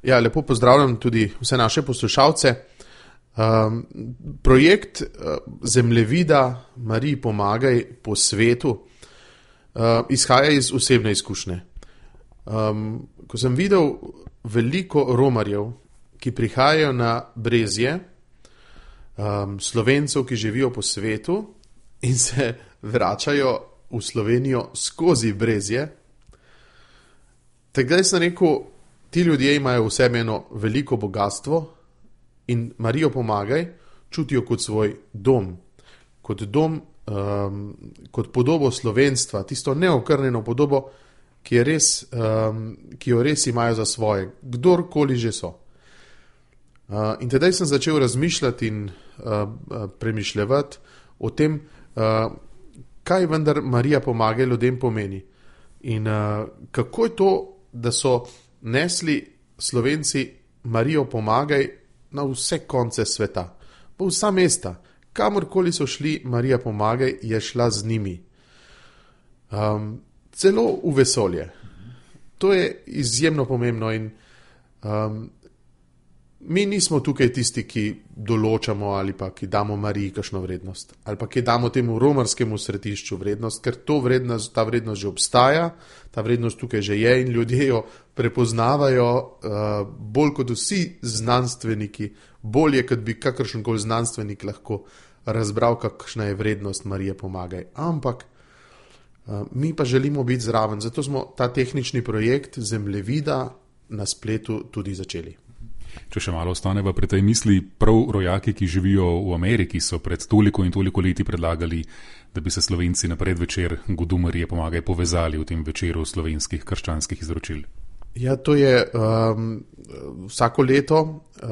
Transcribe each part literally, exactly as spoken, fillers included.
Ja, lepo pozdravljam tudi vse naše poslušalce. Um, projekt uh, Zemljevida Mariji pomagaj po svetu uh, izhaja iz osebne izkušnje. Um, ko sem videl veliko romarjev, ki prihajajo na Brezje, um, Slovencev, ki živijo po svetu in se vračajo v Slovenijo skozi Brezje, takrat sem rekel, ti ljudje imajo v sebi eno veliko bogatstvo in Marijo pomagaj čutijo kot svoj dom, kot dom, um, kot podobo slovenstva, tisto neokrnjeno podobo, ki, je res, um, ki jo res imajo za svoje, kdorkoli že so. Uh, in tedaj sem začel razmišljati in uh, premišljati o tem, uh, kaj vendar Marija pomagaj ljudem pomeni. In uh, kako je to, da so nesli Slovenci Marijo pomagaj na vse konce sveta, v vsa mesta, kamorkoli so šli, Marija pomagaj je šla z njimi. Um, celo v vesolje. To je izjemno pomembno in um, mi nismo tukaj tisti, ki določamo ali pa ki damo Mariji kakšno vrednost, ali pa ki damo temu romarskemu središču vrednost, ker to vrednost, ta vrednost že obstaja, ta vrednost tukaj že je in ljudje jo prepoznavajo uh, bolj kot vsi znanstveniki, bolje, kot bi kakršenkoli znanstvenik lahko razbral, kakšna je vrednost Marije pomagaj. Ampak uh, mi pa želimo biti zraven, zato smo ta tehnični projekt Zemljevida na spletu tudi začeli. Če še malo ostaneva pri tej misli, prav rojaki, ki živijo v Ameriki, so pred toliko in toliko leti predlagali, da bi se Slovenci na predvečer Godu Marije pomagaj povezali v tem večeru slovenskih krščanskih izročil. Ja, to je um, vsako leto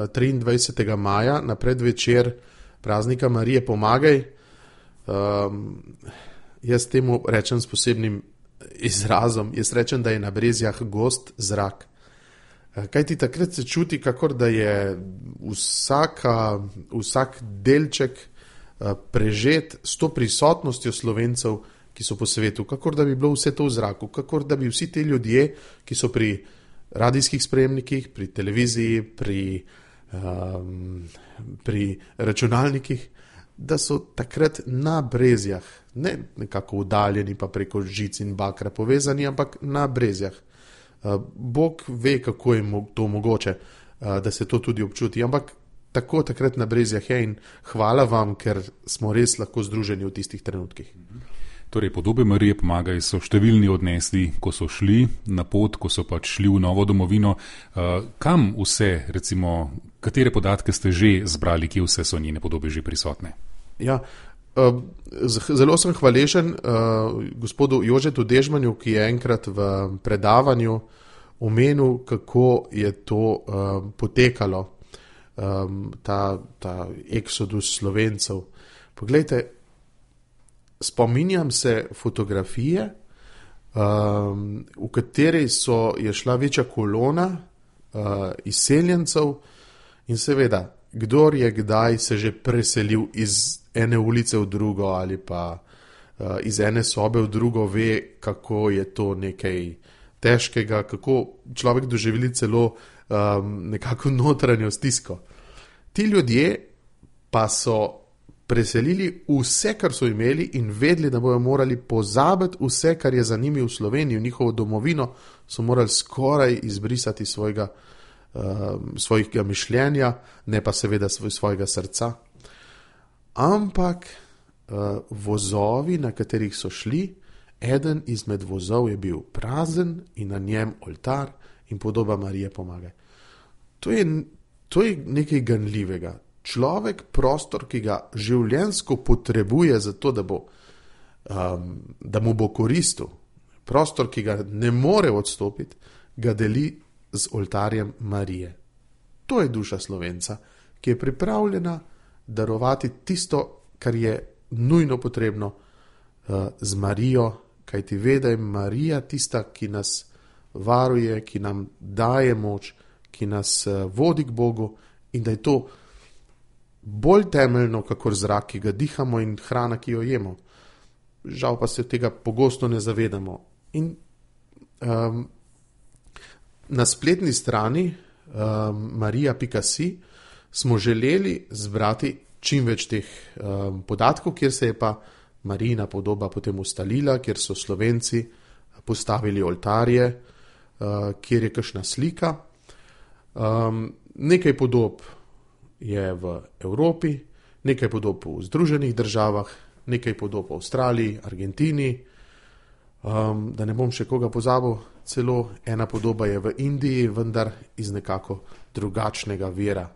triindvajsetega maja na predvečer praznika Marije pomagaj. Um, jaz temu rečem s posebnim izrazom, jaz rečem, da je na Brezjah gost zrak. Kaj ti takrat se čuti, kakor da je vsaka, vsak delček prežet s to prisotnostjo Slovencev, ki so po svetu, kakor da bi bilo vse to v zraku, kakor da bi vsi ti ljudje, ki so pri radijskih sprejemnikih, pri televiziji, pri, um, pri računalnikih, da so takrat na Brezjah, ne nekako oddaljeni pa preko žic in bakra povezani, ampak na Brezjah. Bog ve, kako je to mogoče, da se to tudi občuti, ampak tako takrat na Brezjah je in hvala vam, ker smo res lahko združeni v tistih trenutkih. Torej, podobe Marije pomagaj so številni odnesli, ko so šli na pot, ko so pač šli v novo domovino. Kam vse, recimo, katere podatke ste že zbrali, kje vse so njene podobe že prisotne? Ja, zelo sem hvaležen uh, gospodu Jožetu Dežmanju, ki je enkrat v predavanju omenil, kako je to uh, potekalo, um, ta, ta eksodus Slovencev. Poglejte, spominjam se fotografije, um, v kateri so, je šla večja kolona uh, izseljencev in seveda, kdor je kdaj se že preselil iz ene ulice v drugo ali pa uh, iz ene sobe v drugo, ve, kako je to nekaj težkega, kako človek doživeli celo um, nekako notranjo stisko. Ti ljudje pa so preselili vse, kar so imeli in vedeli, da bojo morali pozabiti vse, kar je za njimi v Sloveniji, v njihovo domovino, so morali skoraj izbrisati svojega, um, svojega mišljenja, ne pa seveda svoj, svojega srca. Ampak uh, vozovi, na katerih so šli, eden izmed vozov je bil prazen in na njem oltar in podoba Marije pomagaj. To je, to je nekaj ganljivega. Človek prostor, ki ga življenjsko potrebuje za to, da, bo, um, da mu bo koristil, prostor, ki ga ne more odstopiti, ga deli z oltarjem Marije. To je duša Slovenca, ki je pripravljena darovati tisto, kar je nujno potrebno uh, z Marijo, kajti ve, da je Marija tista, ki nas varuje, ki nam daje moč, ki nas uh, vodi k Bogu in da je to bolj temeljno, kakor zrak, ki ga dihamo in hrana, ki jo jemo. Žal pa se tega pogosto ne zavedamo. In um, na spletni strani um, marija pika si smo želeli zbrati čim več teh um, podatkov, kjer se je pa Marijina podoba potem ustalila, kjer so Slovenci postavili oltarje, uh, kjer je kakšna slika. Um, nekaj podob je v Evropi, nekaj podob v Združenih državah, nekaj podob v Avstraliji, Argentini, um, da ne bom še koga pozabil, celo ena podoba je v Indiji, vendar iz nekako drugačnega vira.